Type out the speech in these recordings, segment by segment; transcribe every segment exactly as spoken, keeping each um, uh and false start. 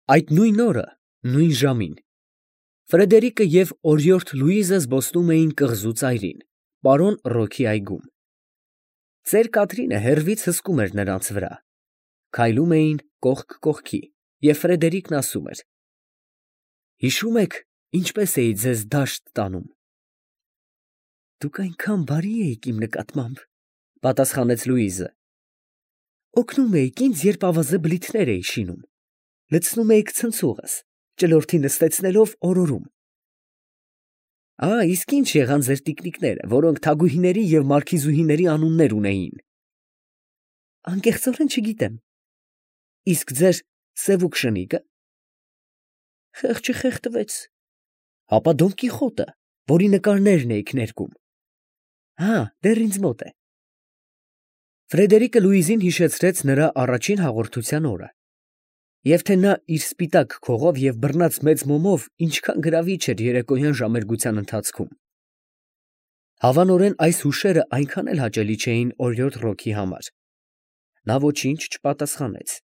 Այդ նույն օրը, նույն ժամին Ֆրեդերիկը և օրիորդ Լուիզը զբոսնում էին կղզու ծայրին, պարոն Ռոքի այգում. ծեր Կատրինը հեռվից հսկում էր նրանց վրա, քայլում էին կողք կողքի, և Ֆրեդերիկն ասում էր. հիշո՞ւմ եք, ինչպես էի ձեզ դաշտ տանում։ Դուք այնքան բարի էիք իմ նկատմամբ, պատասխանեց Լուիզը։ Օգնում էիք ինձ, երբ ավազե բլիթներ էի շինում, լցնում էիք ցնցուղս, ճլորթի նստեցնելով օրորում։ Ա, իսկ ինչ եղան ձեր տիկնիկները, որոնք թագուհիների և մարքիզուհիների անուններ ունեին։ Անկեղծորեն չգիտեմ։ Իսկ ձեր սևուկ շնիկը։ Խեղճը խեղդվեց։ Հապա Դոն Կիխոտը, որի նկարներն էիք ներկում։ Հա, դեռ ինձ մոտ է։ Ֆրեդերիկը Լուիզին հիշեցրեց նրա առաջին հաղորդության օրը, և թե նա իր սպիտակ քողով և բռնած մեծ մոմով ինչքան գրավիչ էր երեկոյան ժամերգության ընթացքում։ Հավանորեն այս հուշերը այնքան էլ հաճելի չէին օրիորդ Ռոքի համար։ Նա ոչինչ չպատասխանեց,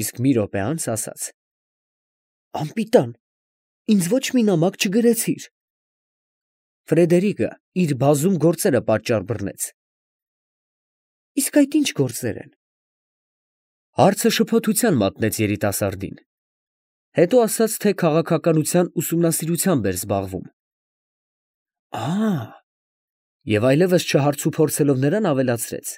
իսկ մի րոպե անց ասաց. Անպիտան, ինձ ոչ մի նամակ չգրեցիր։ Ֆրեդերիկը իր բազում գործերը պատճառ բռնեց։ Իսկ այդ ինչ գործեր են։ Հարցը շփոթության մատնեց երիտասարդին։ Հետո ասաց, թե քաղաքականության ուսումնասիրությամբ էր զբաղվում։ Ա, և այլևս չհարցուփորձելով նրան ավելացրեց.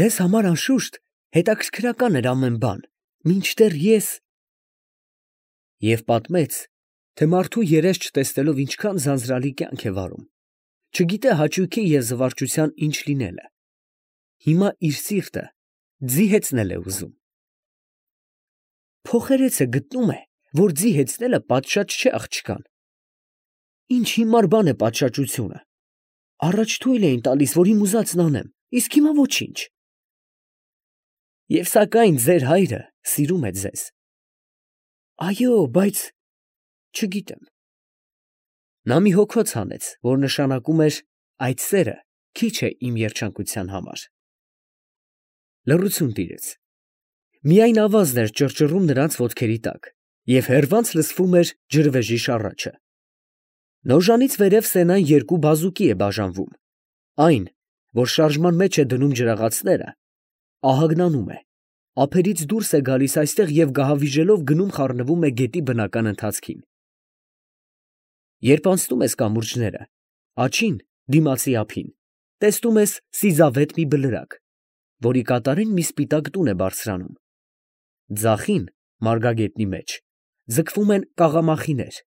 Ձեզ համար անշուշտ հետաքրքրական էր ամեն բան, մինչդեռ ես… Եվ պատմեց, թե մարդու երես չտեսնելով ինչքան ձանձրալի կյանք է վարում, չգիտե հաճույքի և զվարճության ինչ լինել է, հիմա իր սիրտը ձի հեծնել է ուզում։ Փոխերեցը գտնում է, որ ձի հեծնելը պատշաճ չէ աղջկան։ Ինչ հիմար բան է պատշաճությունը։ Առաջ թույլ էին տալիս, որ իմ ուզածն անեմ, իսկ հիմա ոչինչ։ Եվ սակայն ձեր հայրը սիրում է ձեզ։ Այո, բայց… չգիտեմ։ Նա մի հոգոց հանեց, որ նշանակում էր այդ սերը քիչ է իմ երջանկության համար։ Լռություն տիրեց։ Միայն ավազն էր ճռճռում նրանց ոտքերի տակ, և հեռվանց լսվում էր ջրվեժի շառաչը։ Նոժանից վերև Սենան երկու բազուկի է բաժանվում, այն, որ շարժման մեջ է դնում ջրաղացները, ահագնանում է, ափերից դուրս է գալիս այստեղ և գահավիժելով գնում խառնվում է գետի բնական ընթացքին։ Երբ անցնում ես կամուրջները, աջին, դիմացի ափին, տեսնում ես սիզավետ մի բլրակ, որի կատարին մի սպիտակ տուն է բարձրանում։ Ձախին, մարգագետնի մեջ, ձգվում են կաղամախիներ,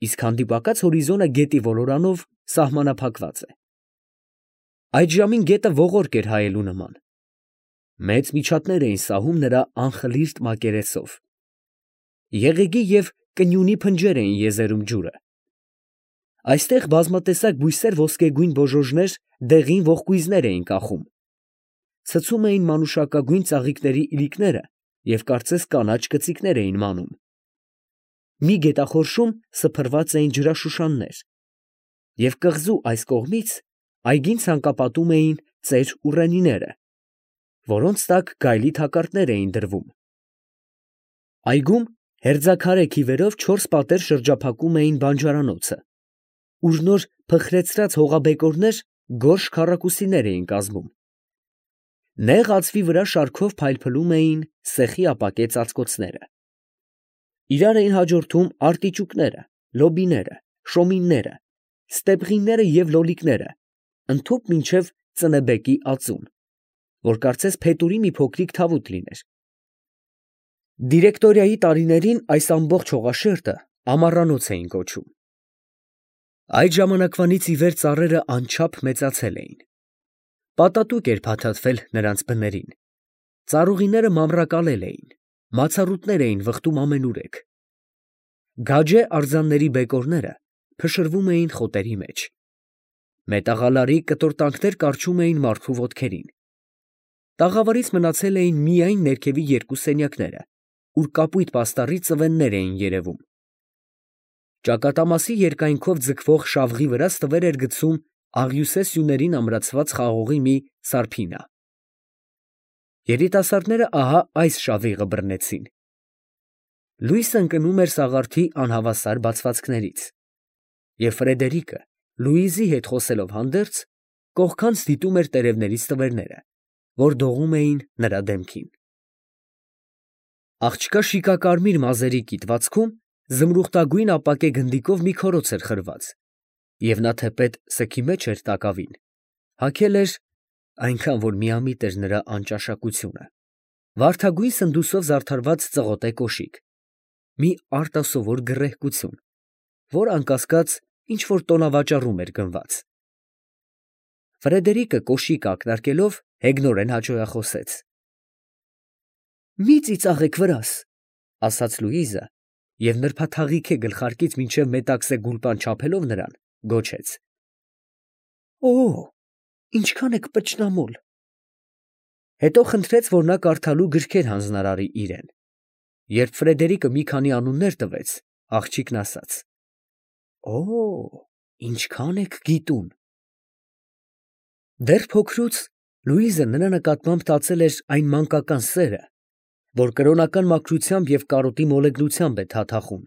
իսկ հանդիպակաց հորիզոնը գետի ոլորանով սահմանափակված է։ Այդ ժամին գետը ողորկ էր հայելու նման։ Մեծ միջատներ էին սահում նրա անխլիրտ մակերեսով։ Եղեգի և կնյունի փնջեր էին եզերում ջուրը։ Այստեղ բազմատեսակ բույսեր ոսկեգույն բոժոժներ դեղին ողկույզներ էին կախում։ Ցցում էին մանուշակագույն ծաղիկների իլիկները և կարծես կանաչ կծիկներ էին մանում։ Մի գետախորշում սփռված էին ջրաշուշաններ, և կղզու այս կողմից այգին ցանկապատում էին ծեր ուռենիները, որոնց տակ գայլի թակարդներ էին դրվում։ Այգում հերձաքարե քիվերով չորս պատեր շրջափակում էին բանջարանոցը, ուր նոր փխրեցրած հողաբեկորներ գորշ քառակուսիներ էին կազմում։ Նեղ ածվի վրա շարքով փայլփլում էին սեխի ապակե ծածկոցները։ Իրար էին հաջորդում արտիճուկները, լոբիները, շոմինները, ստեփղինները և լոլիկները, ընդհուպ մինչև ծնեբեկի ածուն, որ կարծես փետուրի մի փոքրիկ թավուտ լիներ։ Դիրեկտորիայի տարիներին այս ամբողջ հողաշերտը ամառանոց էին կոչում։ Այդ ժամանակվանից ի վեր ծառերը անչափ մեծացել էին։ Պատատուկ էր փաթաթվել նրանց բներին։ Ծառուղիները մանրակալել էին, մացառուտներ էին վխտում ամենուրեք։ Գաջե արձանների բեկորները փշրվում էին խոտերի մեջ։ Մետաղալարի կտորտանքներ կառչում էին մարդու ոտքերին։ Տաղավարից մնացել էին միայն ներքևի երկու սենյակները, ուր կապույտ պաստառի ծվեններ էին երևում։ Ճակատամասի երկայնքով ձգվող շավղի վրա ստվեր էր գցում աղյուսե սյուներին ամրացված խաղողի մի սարփինա։ Երիտասարդները ահա այս շավիղը բռնեցին։ Լուիսը ընկնում էր սաղարթի անհավասար բացվածքներից, և Ֆրեդերիկը, Լուիզի հետ խոսելով հանդերձ, կողքանց դիտում էր տերևներից տվերները, որ դողում էին նրա դեմքին։ Աղջկա շիկակարմիր մազերի կիտվածքում զմրուխտագույն ապակե գնդիկով մի քորոց էր խրված, և նա թեպետ սգի մեջ էր տակավին, հագել էր, այնքան որ միամիտ էր նրա անճաշակությունը, վարդագույն սնդուսով զարդարված ծղոտե կոշիկ, մի արտասովոր գռեհկություն, որ անկասկած ինչ-որ տոնավաճառում էր գնված։ Ֆրեդերիկը կոշիկը ակնարկելով հեգնորեն հաճոյախոսեց. «Մի ծիծաղեք վրաս», ֊ ասաց Լուիզը և նրբաթաղիքե գլխարկից մինչև մետաքսե գուլպան չափելով նրան, գոչեց. «Օ, ինչքան եք պճնամոլ»։ Հետո խնդրեց, որ նա կարդալու գրքեր հանձնարարի իրան։ Երբ Ֆրեդերիկը մի քանի անուններ տվեց, աղջիկն ասաց. «Օ, ինչքան եք գիտուն»։ Դեռ փոքրուց Լուիզը նրա նկատմամբ տածել էր այն մանկական սերը, որ կրոնական մաքրությամբ և կարոտի մոլեգնությամբ է թաթախում։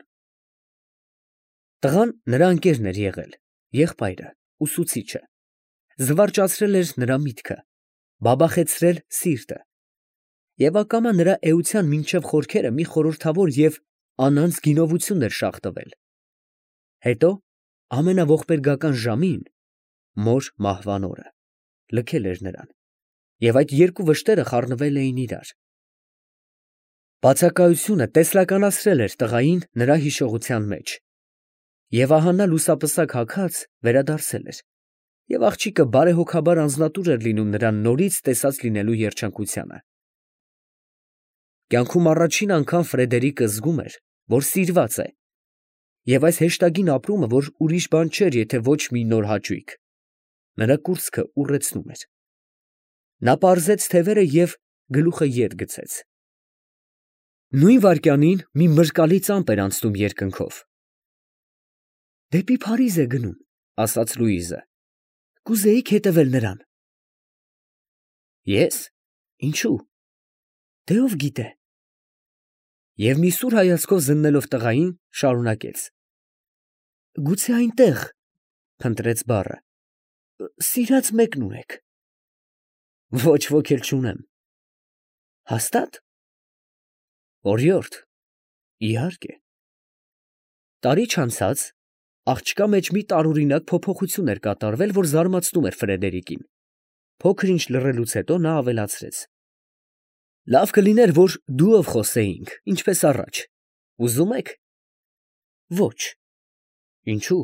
Տղան նրա ընկերն էր եղել, եղբայրը, ուսուցիչը, զվարճացրել էր նրա միտքը, բաբախեցրել սիրտը և ակամա նրա էության մինչև խորքերը մի խորհրդավոր և անանց գինովություն էր շաղ տվել։ Հետո ամենաողբերգական ժամին, մոր մահվան օրը, լքել էր նրան, և այդ երկու վշտերը խառնվել էին իրար։ Բացակայությունը տեսլականացրել էր տղային նրա հիշողության մեջ, և ահա նա լուսապսակ հագած վերադարձել էր, և աղջիկը բարեհոգաբար անձնատուր էր լինում նրան նորից տեսած լինելու երջանկությանը։ Կյանքում առաջին անգամ Ֆրեդերիկը զգում էր, որ սիրված է, և այս հեշտագին ապրումը, որ ուրիշ բան չէր, եթե ոչ մի նոր հաճույք, նրա կուրծքը ուռեցնում էր։ Նա պարզեց թևերը և գլուխը ետ գցեց։ Նույն վայրկյանին մի մրրկալի ծամպ էր անցնում երկնքով։ «Դեպի Փարիզ է գնում», ֊ ասաց Լուիզը, ֊ կուզեիք հետևել նրան։ Ես, ինչո՞ւ, դե ով գիտե։ Եվ մի սուր հայացքով զննելով տղային, շարունակեց. «Գուցե այնտեղ, ֊ փնտրեց բառը, ֊ սիրած մեկն ունեք։ Ոչ ոք էլ չունեմ։ Հաստա՞տ։ Օրիորդ, իհարկե։ Տարի չանցած աղջկա մեջ մի տարօրինակ փոփոխություն էր կատարվել, որ զարմացնում էր Ֆրեդերիկին։ Փոքր ինչ լռելուց հետո նա ավելացրեց. «Լավ կլիներ, որ դուով խոսեինք, ինչպես առաջ։ Ուզում եք։ Ոչ։ Ինչո՞ւ։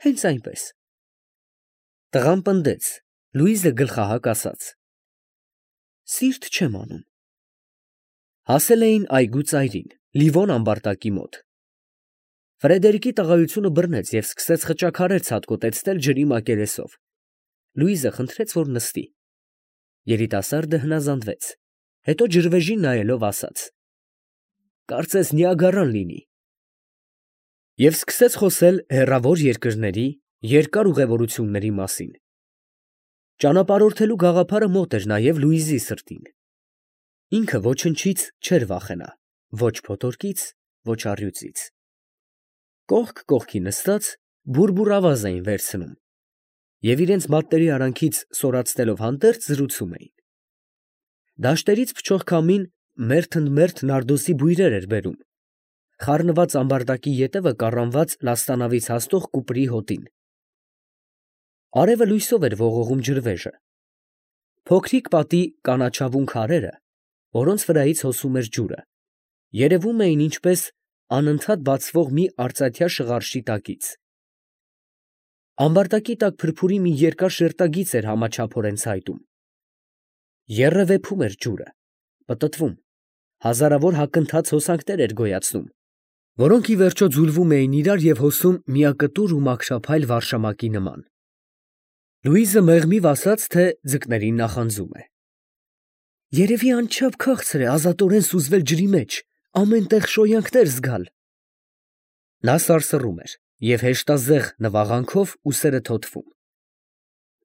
Հենց այնպես»։ Տղան պնդեց, Լուիզը գլխահակ ասաց. «Սիրտ չեմ անում»։ Հասել էին այգու ծայրին, Լիվոն ամբարտակի մոտ։ Ֆրեդերիկի տղայությունը բռնեց և սկսեց խճաքարեր ցատկոտեցնել ջրի մակերեսով։ Լուիզը խնդրեց, որ նստի։ Երիտասարդը հնազանդվեց, հետո ջրվեժին նայելով ասաց. «Կարծես Նիագարան լինի»։ Եվ սկսեց խոսել հեռավոր երկրների, երկար ուղևորությունների մասին։ Ճանապարհորդելու գաղափարը մոտ էր նաև Լուիզի սրտին։ Ինքը ոչնչից չէր վախենա, ոչ փոթորկից, ոչ առյուծից։ Կողք կողքի նստած բուռ֊բուռ ավազ էին վերցնում և իրենց մատների արանքից սորացնելով հանդերձ զրուցում էին։ Դաշտերից փչող քամին մերթ ընդ մերթ նարդոսի բույրեր էր բերում, խառնված ամբարտակի ետևը կառանված լաստանավից հասնող կուպրի հոտին։ Արևը լույսով էր ողողում ջրվեժը։ Փոքրիկ պատի կանաչավուն քարերը, որոնց վրայից հոսում էր ջուրը, երևում էին ինչպես անընդհատ բացվող մի արծաթյա շղարշի տակից։ Ամբարտակի տակ փրփուրի մի երկար շերտագիծ էր համաչափորեն ցայտում։ Եռը վեփում էր ջուրը, պտտվում, հազարավոր հագընթաց հոսանքներ էր գոյացնում, որոնք ի վերջո ձուլվում էին իրար և հոսում միակտուր ու մաքրափայլ վարշամակի նման։ Լուիզը մեղմիվ ասաց, թե ձկներին նախանձում է։ Երևի անչափ քաղցր է ազատորեն սուզվել ջրի մեջ, ամեն տեղ շոյանքներ զգալ։ Նա սարսռում էր և հեշտազեղ նվաղանքով ուսերը թոթվում։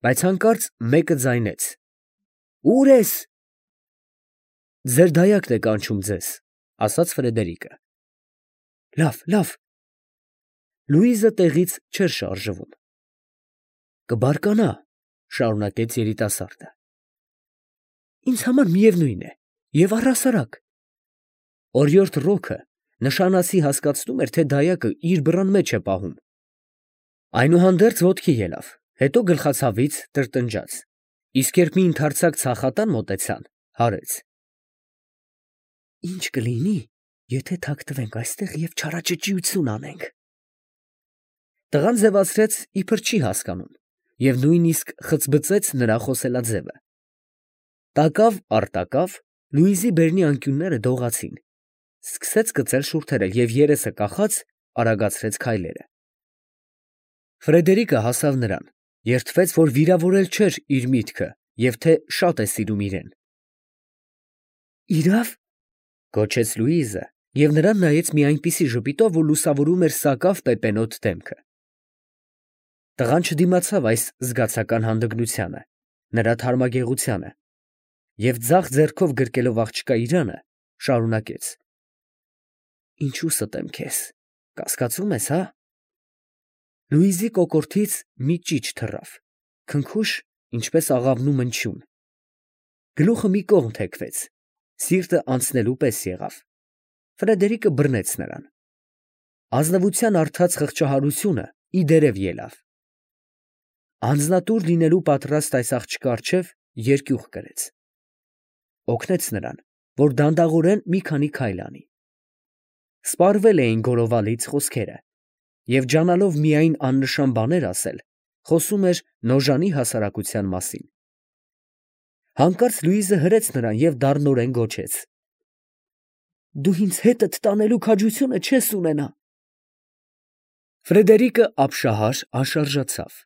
Բայց հանկարծ մեկը ձայնեց. «Ո՞ւր ես»։ Ձեր դայակն է կանչում ձեզ, ֊ ասաց Ֆրեդերիկը։ Լավ, լավ։ Լուիզը տեղից չէր շարժվում։ Կբարկանա, շարունակեց երիտասարդը։ Ինձ համար միևնույն է, եւ առհասարակ։ Օրիորդ Ռոքը նշանացի հասկացնում էր, թե դայակը իր բռան մեջ է պահում։ Այնուհանդերձ ոտքի ելավ, հետո գլխացավից տրտնջաց, իսկ երբ մի ընդարձակ ցախատան մոտեցան, հարեց. Ինչ կլինի, եթե թաքնվենք այստեղ եւ չարաճճիություն անենք։ Տղան ձևացրեց, իբր չի հասկանում, եւ նույնիսկ խցբծեց նրա խոսելաձևը։ Տակավ առ տակավ Լուիզի բերնի անկյունները դողացին, սկսեց կծել շուրթերել եւ երեսը կախած արագացրեց քայլերը։ Ֆրեդերիկը հասավ նրան, երդվեց, որ վիրավորել չէր իր միտքը եւ թե շատ է սիրում իրեն։ Իրավ, գոչեց Լուիզը եւ նրան նայեց մի այնպիսի ժպիտով, որ լուսավորում էր սակավ պեպենոտ դեմքը։ Տղան չդիմացավ այս զգացական հանդգնությանը, նրա թարմագեղությանը, եւ ձախ ձեռքով գրկելով աղջկա իրանը, շարունակեց. Ինչու ստեմ քեզ, կասկածում ես, հա։ Լուիզի կոկորդից մի ճիչ թռավ, քնքուշ, ինչպես աղավնու մնչյուն։ Գլուխը մի կողմ թեքվեց, սիրտը անցնելու պես եղավ։ Ֆրեդերիկը բռնեց նրան։ Ազնվության արդած խղճահարությունը ի դերև ելավ։ Անձնատուր լինելու պատրաստ այս աղջկա առջև երկյուղ կրեց։ Օգնեց նրան, որ դանդաղորեն մի քանի քայլ անի։ Սպառվել էին գորովալից խոսքերը, եւ ջանալով միայն աննշան բաներ ասել, խոսում էր Նոժանի հասարակության մասին։ Հանկարծ Լուիզը հրեց նրան եւ դառնորեն գոչեց. Դու ինձ հետդ տանելու քաջությունը չես ունենա։ Ֆրեդերիկը ապշահար անշարժացավ։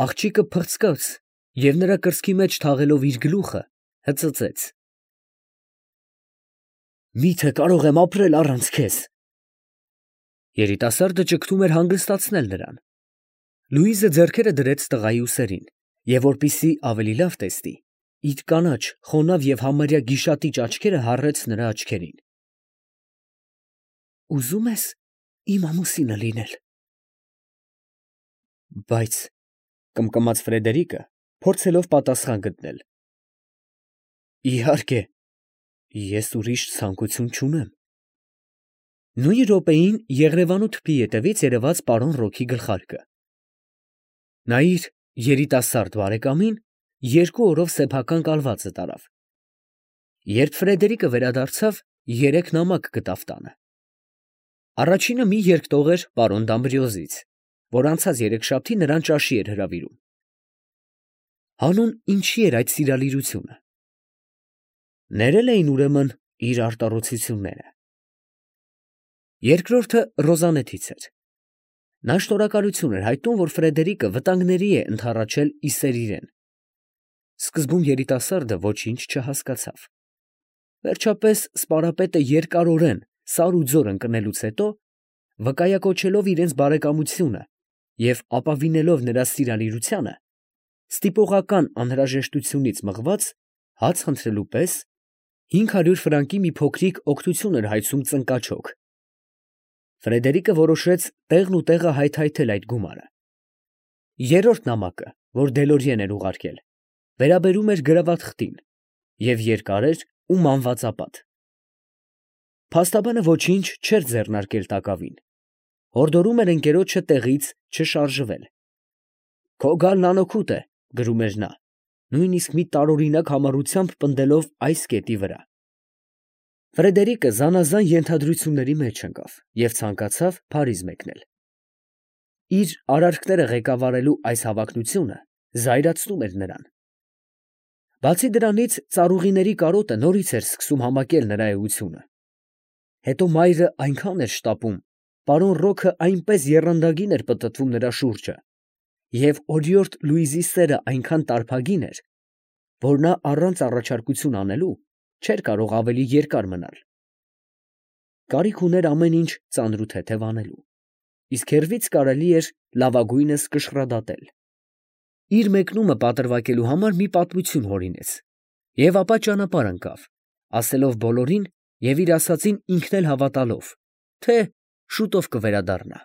Աղջիկը փռցկաց եւ նրա կրծքի մեջ թաղելով իր գլուխը հծծեց. Միթե կարող եմ ապրել առանց քեզ։ Երիտասարդը ճգնում էր հանգստացնել նրան։ Լուիզը ձեռքերը դրեց տղայի ուսերին եւ որպիսի ավելի լավ տեսնի, իր կանաչ, խոնավ եւ համարյա գիշատիճ աչքերը հառեց նրա աչքերին։ Ուզում ես իմ ամուսինը լինել։ Բայց կմկմաց Ֆրեդերիկը, փորձելով պատասխան գտնել։ Իհարկե, ես ուրիշ ցանկություն չունեմ։ Նույն րոպեին Եղրևանու թփի ետևից երևաց պարոն Ռոքի գլխարկը։ Նայիր երիտասարդ բարեկամին երկու օրով սեփական կալվածը տարավ։ Երբ Ֆրեդերիկը վերադարձավ, երեք նամակ գտավ տանը։ Առաջինը մի երկտող էր պարոն Դամբրիոզից, որ անցած երեքշաբթի նրան ճաշի էր հրավիրում։ Հանուն ինչի էր այդ սիրալիրությունը։ Ներել էին ուրեմն իր արտառոցությունները։ Երկրորդը Ռոզանետից էր։ Նա շնորհակալություն էր հայտնում, որ Ֆրեդերիկը վտանգների է ընդառաջել իսեր իրեն։ Սկզբում երիտասարդը ոչինչ չհասկացավ։ Վերջապես սպարապետը երկարորեն սար ու ձոր ընկնելուց հետո, վկայակոչելով իրենց բարեկամությունը և ապավինելով նրա սիրալիրությանը, ստիպողական անհրաժեշտությունից մղված, հաց խնդրելու պես, հինգ հարյուր ֆրանկի մի փոքրիկ օգնություն էր հայցում ծնկաչոք։ Ֆրեդերիկը որոշեց տեղն ու տեղը հայթայթել այդ գումարը։ Երրորդ նամակը, որ Դելորիեն էր ուղարկել, վերաբերում էր գրավատխտին և երկար էր ու մանվածապատ։ Փաստաբանը ոչինչ չէր ձեռնարկել տակավին, հորդորում էր ընկերոջը տեղից չշարժվել։ Քո գալն անօգուտ է, գրում էր նա, նույնիսկ մի տարօրինակ համառությամբ պնդելով այս կետի վրա։ Ֆրեդերիկը զանազան ենթադրությունների մեջ ընկավ և ցանկացավ Փարիզ մեկնել։ Իր արարքները ղեկավարելու այս հավակնությունը զայրացնում էր նրան։ Բացի դրանից, ծառուղիների կարոտը նորից էր սկսում համակել նրա էությունը։ Հետո մայրը այնքան էր շտապում, պարոն Ռոքը այնպես եռանդագին էր պտտվում նրա շուրջը, և օրիորդ Լուիզի սերը այնքան տարփագին էր, որ նա առանց առաջարկություն անելու չէր կարող ավելի երկար մնալ։ Կարիք ուներ ամեն ինչ ծանր ու թեթև անելու, իսկ հեռվից կարելի էր լավագույնս կշռադատել։ Իր մեկնումը պատրվակելու համար մի պատմություն հորինեց և ապա ճանապարհ ընկավ, ասելով բոլորին և իր ասածին ինքն էլ հավատալով, թե շուտով կվերադառնա։